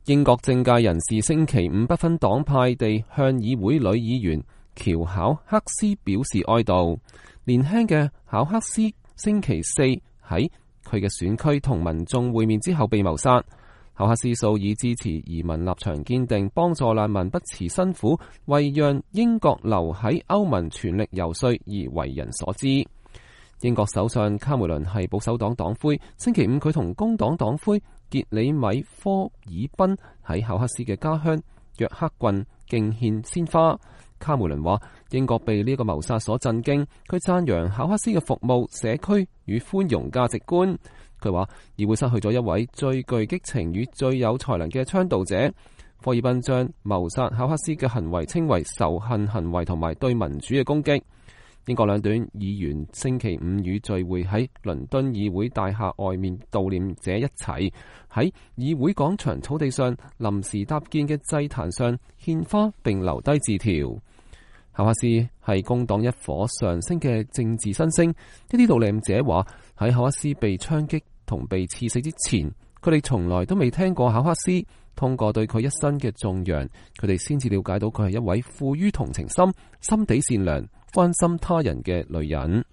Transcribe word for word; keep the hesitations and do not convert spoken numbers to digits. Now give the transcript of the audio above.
英國政界人士星期五不分黨派地向議會女議員喬考克斯表示哀悼。年輕嘅考克斯星期四喺佢嘅選區同民眾會面之後被謀殺。考克斯素以支持移民立場堅定，幫助難民不辭辛苦，為讓英國留喺歐盟全力游說而為人所知。英國首相卡梅倫係保守黨黨魁，星期五佢同工黨黨魁傑里米科爾賓喺考克斯嘅家鄉約克郡敬獻鮮花。卡梅倫話英國被呢個謀殺所震驚，佢讚揚考克斯嘅服務、社區與寬容價值觀。佢話議會失去咗一位最具激情與最有才能嘅倡導者。科爾賓將謀殺考克斯嘅行為稱為仇恨行為同埋對民主嘅攻擊。英國兩黨議員星期五與聚會喺倫敦議會大廈外面悼念者一齊喺議會廣場草地上臨時搭建嘅祭壇上獻花並留低字條。考克斯係工黨一伙上升嘅政治新星。一啲悼念者話喺考克斯被槍擊同被刺死之前，佢哋從來都未聽過考克斯。通過對佢一生嘅頌揚，佢哋先至了解到佢係一位富於同情心、心地善良、關心他人嘅女人。